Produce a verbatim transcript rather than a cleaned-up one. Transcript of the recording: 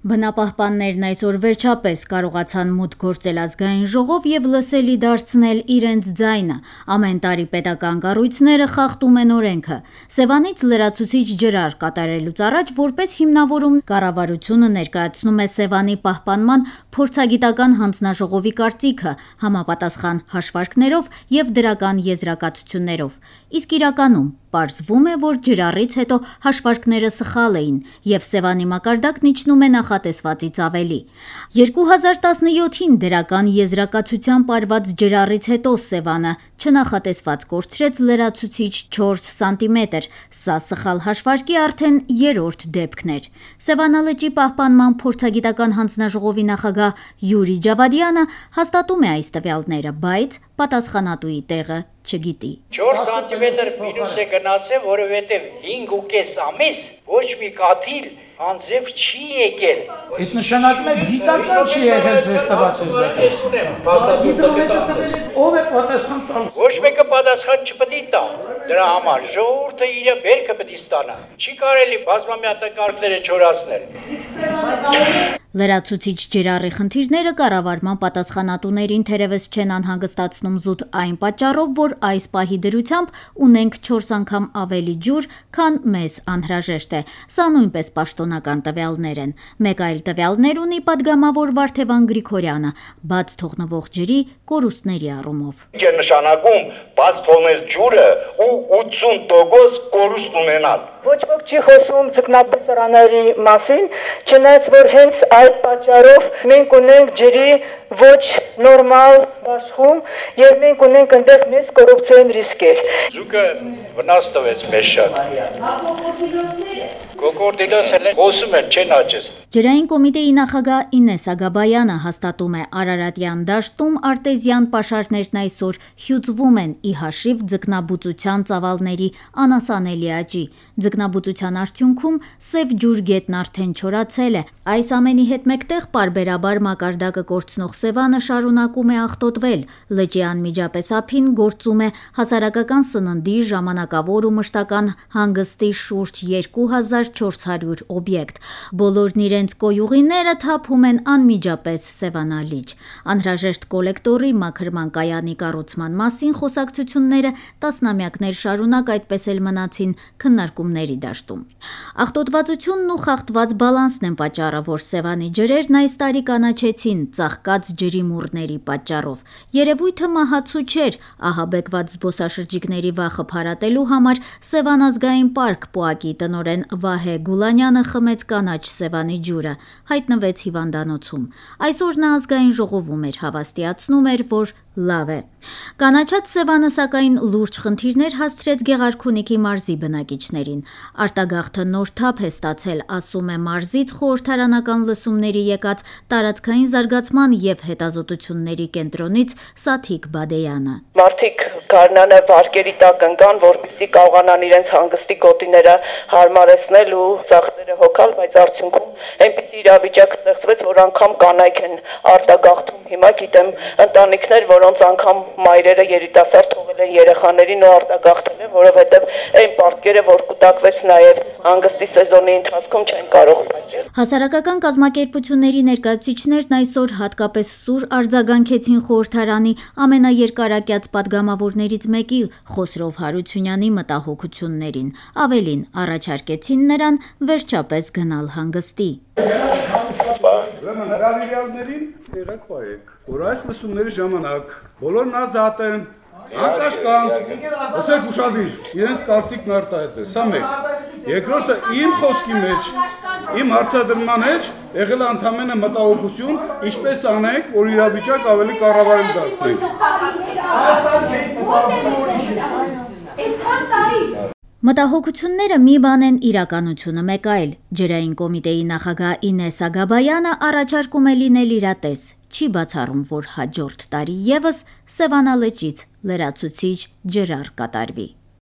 Բնապահպաններն այսօր վերջապես կարողացան մուտք գործել ազգային ժողով եւ լսելի դարձնել իրենց ձայնը։ Ամեն տարի պետական կառույցները խախտում են օրենքը։ Սևանից լրացուցիչ ջրար կատարելուց առաջ որպես հիմնավորում կառավարությունը ներկայացնում է Սևանի պահպանման փորձագիտական հանձնաժողովի կարծիքը համապատասխան հաշվարկներով եւ դրական եզրակացություններով։ Իսկ իրականում պարզվում է, որ ջրառից հետո հաշվարկները սխալ էին եւ Սևանի մակարդակն իջնում է նախատեսվածից ավելի։ երկու հազար տասնյոթին դրական եզրակացությամբ արված ջրառից հետո Սևանը չնախատեսված կորցրեց լրացուցիչ չորս սանտիմետր, սա սխալ հաշվարկի արդեն երրորդ դեպքն էր։ Սևանալճի պահպանման փորձագիտական հանձնաժողովի նախագահ Յուրի Ջավադյանը հաստատում է այս տվյալները, բայց պատասխանատուի տեղը չգիտի։ չորս սանտիմետր մինուս է գնացել, որովհետև հինգ ու կես ամիս ոչ մի կաթիլ անձև չի եկել։ Այդ նշանակում է գիտական չի եղել ձեր տված եզրակացությունը։ Ո՞վ է պատասխան տալու։ Ոչ մեկը պատասխան չպետք է տա։ Դրա համար ժողովուրդը իր բերքը պետք է ստանա։ Չի կարելի բազմամյա տակառները չորացնել։ Լրացուցիչ ջրառի խնդիրները կառավարման պատասխանատուներին թերևս չեն անհանգստացնում զուտ այն պատճառով, որ այս պահի դրությամբ ունենք չորս անգամ ավելի ջուր, քան մեզ անհրաժեշտ է։ Սա նույնպես պաշտոնական տվյալներ են։ Մեկ այլ տվյալներ ունի պատգամավոր Վարդևան Գրիգորյանը, բաց թողնվող ջրի կորուստների առումով։ Ինչ է նշանակում բաց թողնել ջուրը ու ութսուն տոկոս կորուստ ունենալ։ Ոչ ոք չի խոսում ձկնաբծրաների մասին, չնայած որ հենց այդ պատճառով մենք ունենք ջրի ոչ նորմալ աշխում եւ մենք ունենք այնտեղ մեծ կոռուպցիոն ռիսկեր։ Ձուկը վնաս տվեց մեզ շատ։ Կոկորդիլոսը խոսում են, չեն աճես։ Ջրային կոմիտեի նախագահ Ինես Ագաբայանը հաստատում է Արարատյան դաշտում արտեզյան պաշարներն այսօր հյուծվում են ի հաշիվ ձկնաբուծության ծավալների անասանելի աճի։ Ձկնաբուծության արդյունքում Սև ջուր գետն արդեն չորացել է։ Այս ամենի հետ մեկտեղ պարբերաբար մակարդակը կորցնող Սևանը շարունակում է աղտոտվել։ Լճի անմիջապես ափին գործում է հասարակական սննդի, ժամանակավոր ու մշտական հանգստի շուրջ երկու հազար չորս հարյուր օբյեկտ։ Բոլորն իրենց կոյուղիները թափում են անմիջապես Սևանալիճ։ Անհրաժեշտ կոլեկտորի մաքրման կայանի կառուցման մասին խոսակցությունները տասնամյակներ շարունակ այդպես էլ մնացին քննարկումների դաշտում։ Աղտոտվածությունն ու խախտված բալանսն են պատճառը, որ Սևանի ջրերն այս տարի կանաչեցին ծաղկած ջրի մուրների պատճառով։ Երևույթը մահացու չէր, ահաբեկված զբոսաշրջիկների վախը փարատելու համար Սևան ազգային պարկ պոակի տնօրեն Վահե Գուլանյանը խմեց կանաչ Սևանի ջուրը, հայտնվեց հիվանդանոցում։ Այսօր նա ազգային ժողովում էր, հավաստիացնում էր, որ լավ է։ Կանաչած Սևանը սակայն լուրջ խնդիրներ հասցրեց Գեղարքունիքի մարզի բնակիչներին։ Արտագաղթը նոր թափ է ստացել, ասում է մարզից խորհրդարանական լսումների եկած տարածքային զարգացման եւ հետազոտությունների կենտրոնից Սաթիկ Բադեյանը։ Մարդիկ գարնանը վարկերի տակ ընկան, որպեսզի կարողանան իրենց հանգստի գոտիները հարմարեցնել ու ծախսերը հոգալ, բայց արդյունքում այնպիսի իրավիճակ ստեղծվեց, որ անգամ կանայք են արտագաղթում։ Հիմա գիտեմ ընտանիքներ, որոնց անգամ մայրերը երիտասարդ թողել են երեխաներին ու արտագաղթել են, որովհետև այն պարտքերը, որ կուտակվեց նաև հանգստի սեզոնի ընթացքում չեն կարող պատճառ։ Հասարակական կազմակերպությունների ներկայացուցիչներն այսօր հատկապես սուր արձագանքեցին խորհրդարանի ամենաերկարակյաց պատգամավորներից մեկի Խոսրով Հարությունյանի մտահոգություններին։ Ավելին, առաջարկեցին նրան վերջապես գնալ հանգստի։ Ուրեմն հրավիրյալներին եղեք պայեք, որ այս լսումների ժամանակ բոլորն ազատ են, անկաշկանդ, ասեք ուշադիր, իրենց կարծիքն արտահայտել, սա մեկ։ Երկրորդը իմ խոսքի մեջ, իմ հարցադրման մեջ եղել է ընդամենը մտահոգություն, ինչպես անենք, որ իրավիճակ ավելի կառավարել դարձնենք։ Մտահոգությունները մի բան են, իրականությունը մեկ այլ։ Ջրային կոմիտեի նախագահ Ինես Ագաբայանը առաջարկում է լինել իրատես։ Չի բացառում, որ հաջորդ տարի ևս Սևանալճից լրացուցիչ ջրառ կատարվի։